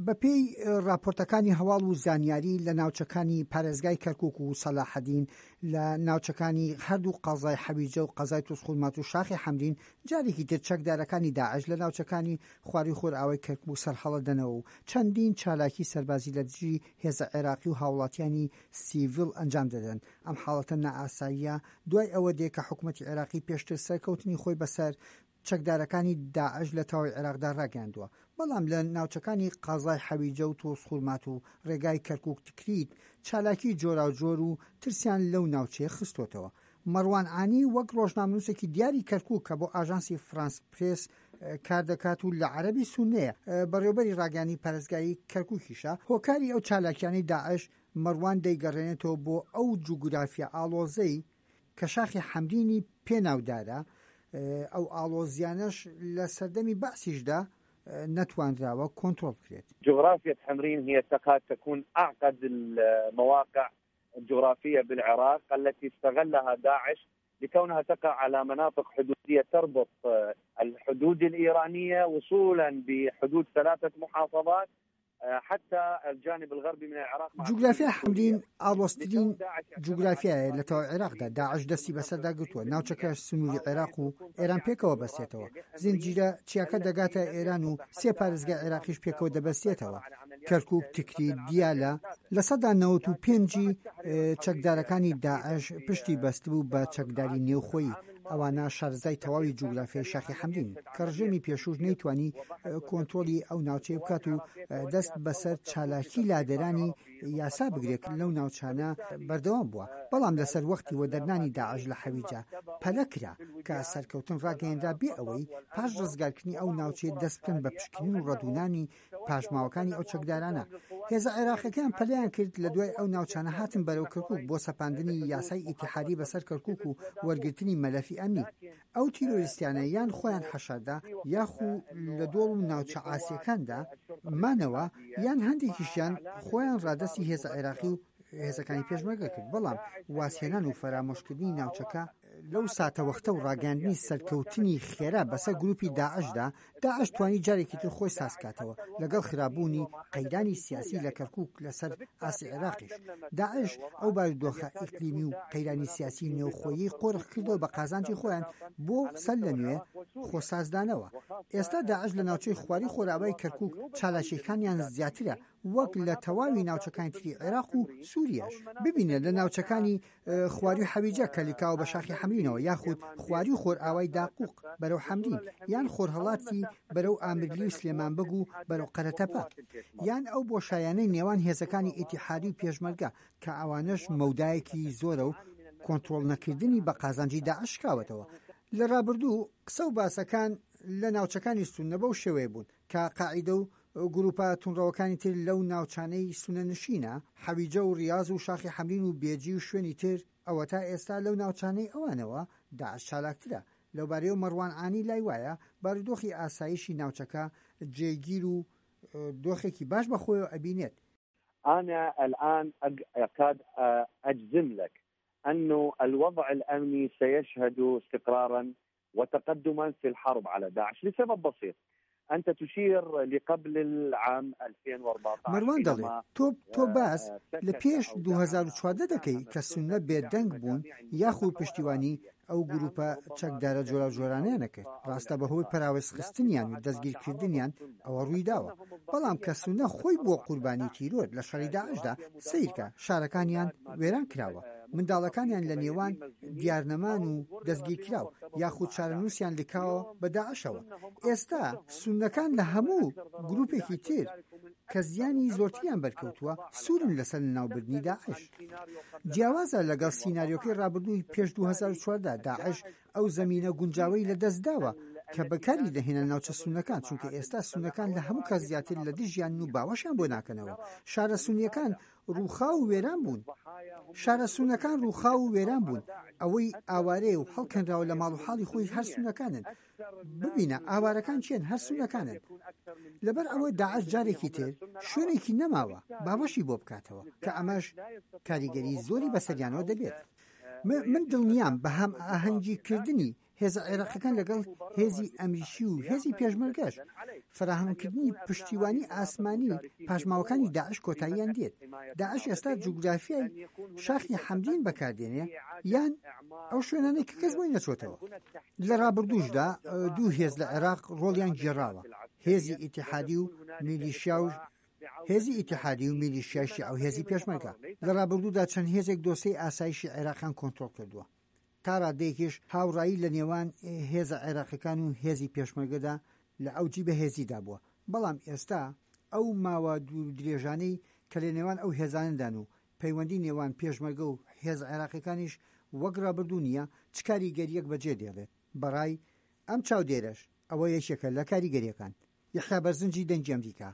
بەپێی ڕاپۆرتەکانی هەواڵ و زانیاری لە ناوچەکانی پارێزگای کەرکوک و سەلاحەدین لە ناوچەکانی هەردوو قەزای حەویجە و قەزای توزخورماتوو و شاخی حەمرین جارێکی تر چەکدارەکانی داعش لە ناوچەکانی خواروی خۆرئاوای کەرکوک سەرهەڵەدەنەوە و چەندین چالاکی سەربازی لە دژی هێزە عێراقی و هاوڵاتیانی سیڤیل ئەنجام دەدەن. ئەم حاڵەتە نائاساییە دوای ئەوە دێ کە حکومەتی عێراقی پێشتر سەرکەوتنی خۆی بەسەر چەکدارەکانی داعش لە تەواوی عێراقدا ڕاگەیاندووە، بەڵام لە ناوچەکانی قەزای حەویجە و توزخورماتوو و ڕێگای کەرکوک-تکریت چالاکی جۆراوجۆر و ترسیان لەو ناوچەیە خستۆتەوە. مەڕوان عانی وەک ڕۆژنامەنووسێکی دیاری کەرکوک کە بۆ ئاژانسی فرانس پرێس کار دەکات و لە عەرەبی سوننەیە، بەڕێوەبەری ڕاگەیاندنی پارێزگای کەرکوکیشە، هۆکاری ئەو چالاکیانەی داعش مەڕوان دەیگەڕێنێتەوە بۆ ئەو جوگرافیا ئاڵۆزەی کە شاخی حەمرینی پێ ناودارە، ئەو ئاڵۆزیانەش لە سەردەمی بەعسیشدا نەتوانراوە کۆنترۆڵ بکرێت. جغرافية حمرين هي تكاد تكون أعقد المواقع الجغرافية بالعراق التي استغلها داعش لكونها تقع على مناطق حدودية تربط الحدود الإيرانية وصولا بحدود ثلاثة محافظات جوگرافیای حەمرین ئاڵۆزترین جوگرافیایە لە تەواوی عێراقدا، داعش دەستی بەسەردا گرتووە، ناوچەکە سنووری عێراق و ئێران پێکەوە بەستێتەوە، زنجیرە چیاکە دەگاتە ئێران و سێ پارێزگای عێراقیش پێکەوە دەبەستێتەوە، کەرکوک، تکریت، دیالە. 95% ی چەکدارەکانی داعش پشتی بەستبوو بە چەکداری نێوخۆیی، ئەوانە شارەزای تەواوی جوگرافیای شاخی حەمرینن، کە ڕژێمی پێشووش نەیتوانی کۆنترۆڵی ئەو ناوچەیە بکات و دەست بەسەر چالاکی لادەرانی یاسا بگرێت لەو ناوچانە بەردەوام بووە، بەڵام لەسەر وەختی وەدەرنانی داعش لە حەویجە پەلە کرا کە سەرکەوتن ڕاگەیەنرا بێ ئەوەی پاش ڕزگارکردنی ئەو ناوچەیە دەست بکەن بە پشکنین و ڕەدوونانی پاشماوەکانی ئەو چەکدارانە. هێزە عێراقیەکان پەلەیان کرد لە دوای ئەو ناوچانە هاتن بەرەو کەرکوک بۆ سەپاندنی یاسای ئیتیحادی بەسەر کەرکوک و وەرگرتنی مەلەفی ئەمنی. ئەو تیرۆریستیانە یان خۆیان حەشاردا یاخو لە دۆڵ و ناوچە عاسیەکاندا مانەوە یان هەندێکیشیان خۆیان ڕادەستی هێزە عێراقی و هێزەکانی پێشمەرگە کرد، بەڵام وازهێنان و فەرامۆشکردنی ناوچەکە لەو ساتەوەختە و ڕاگەیاندنی سەرکەوتنی خێرا بەسەر گروپی داعشدا، داعش توانی جارێکی تر خۆی سازکاتەوە لەگەڵ خراپبوونی قەیرانی سیاسی لە کەرکوک لەسەر ئاستی عێراقیش. داعش ئەو بارودۆخە ئیقلیمی و قەیرانی سیاسی نێوخۆیەی قۆرخ کردەوە بە قازانجی خۆیان بۆ سەر لە نوێ خۆسازدانەوە. ئێستا داعش لە ناوچەی خواری خۆرئاوای کەرکوک چالاکیەکانیان زیاترە وەک لە تەواوی ناوچەکانی تری عێراق و سوریاش. ببینە لە ناوچەکانی خواروی حەویجە کە لکاوە بە شاخی حەمرینەوە یاخود خواروی خۆرئاوای داقوق بەرەو حەمرین یان خۆرهەڵاتی بەرەو ئامرلی و سلێمان بەگ و بەرەو قەرەتەپە یان ئەو بۆشایانەی نێوان هێزەکانی ئیتیحادی و پێشمەرگە کە ئەوانەش مەودایەکی زۆرە و کۆنترۆڵ نەکردنی بە قازانجی داعش شکاوەتەوە. لە ڕابردوو قسە و باسەکان لە ناوچەکانی سوننە بەو شێوەیە بوون کە قاعیدە و گروپە توندڕەوەکانی تر لەو ناوچانەی سوننەنشینە، حەویجە و ڕیاز و شاخی حەمرین و بێجی و شوێنی تر، ئەوەتا ئێستا لەو ناوچانەی ئەوانەوە داعش چالاکترە. لەوبارەیەوە مەڕوان عانی لای وایە بارودۆخی ئاسایشی ناوچەکە جێگیر و دۆخێکی باش بەخۆیەوە ئەبینێت. انا الان اكاد اجزم لك انه الوضع الامني سيشهد استقرارا وتقدما في الحرب على داعش لسبب بسيط أنت تشير لقبل العام 2014 مەروان دەڵێت، تۆ تۆ باس لە پێش 2014 دەکەی کە سوننە بێدەنگ بوون یاخود پشتیوانی ئەو گروپە چەکدارە جۆراوجۆرانەیان نەکرد، ڕاستە بەهۆی پەراوێزخستنیان و دەستگیرکردنیان ئەوە ڕوویداوە، بەڵام کە سوننە خۆی بووە قوربانی تیرۆر لە شەڕی داعشدا، سەیرکە شارەکانیان وێران کراوە، منداڵەکانیان لە نێوان دیارنەمان و دەستگیرکراو یاخود چارەنووسیان لکاوە بە داعشەوە. ئێستا سوننەکان لە هەموو گروپێکی تر کە زیانی زۆرتریان بەرکەوتووە سوورن لەسەر لەناوبردنی داعش. جیاوازە لەگەڵ سیناریۆکەی ڕابردووی پێش 2014، داعش ئەو زەمینە گونجاوەی لەدەستداوە کە بەکاری دەهێنا ناوچە سوننەکان، چونکە ئێستا سوننەکان لە هەموو کەس زیاتر لە دژیانن و باوەشیان بۆ ناکەنەوە. شارە سوننییەکان ڕووخاو و وێران بوون. شارە سوننەکان ڕووخاو و وێران بوون. ئەوەی ئاوارەیە و هەڵکەنراوە لە ماڵ و حاڵی خۆی هەر سوننەکانن. ببینە ئاوارەکان کێن هەر سوننەکانن. لەبەر ئەوە داعش جارێکی تر شوێنێکی نەماوە باوەشی بۆ بکاتەوە کە ئەمەش کاریگەری زۆری بەسەریانەوە دەبێت. من دڵنیام بە هەمئاهەنگی کردنی. هێزە عێراقیەکان لەگەڵ هێزی ئەمریکی و هێزی پێشمەرگەش، فەراهەمکردنی پشتیوانی ئاسمانی پاشماوەکانی داعش کۆتاییان دێت. داعش ئێستا جوگرافیای شاخی حەمرین بەکاردێنێ یان ئەو شوێنانەی کە کەس بۆی نەچۆتەوە. لە ڕابردووشدا دوو هێز لە عێراق ڕۆڵیان گێڕاوە، هێزی ئیتیحادی و میلیشیا و هێزی ئیتیحادی و میلیشیای شیعە و هێزی پێشمەرگە. لە ڕابردوودا چەند هێزێک دۆسێی ئاسایشی عێراقیان کۆنترۆڵ کردووە. تا ڕادەیەکیش هاوڕایی لە نێوان هێزە عێراقیەکان و هێزی پێشمەرگەدا لە ئەوجی بەهێزیدا بووە، بەڵام ئێستا ئەو ماوە دوور و درێژانەی کە لە نێوان ئەو هێزانەدان و پەیوەندی نێوان پێشمەرگە و هێزە عێراقیەکانیش وەک ڕابردوو نییە، چ کاریگەرییەک بەجێ دێڵێت؟ بەڕای ئەم چاودێرەش ئەوە یەکێکە لە کاریگەرییەکان. یەحیا بەرزنجی دەنگی ئەمریکا.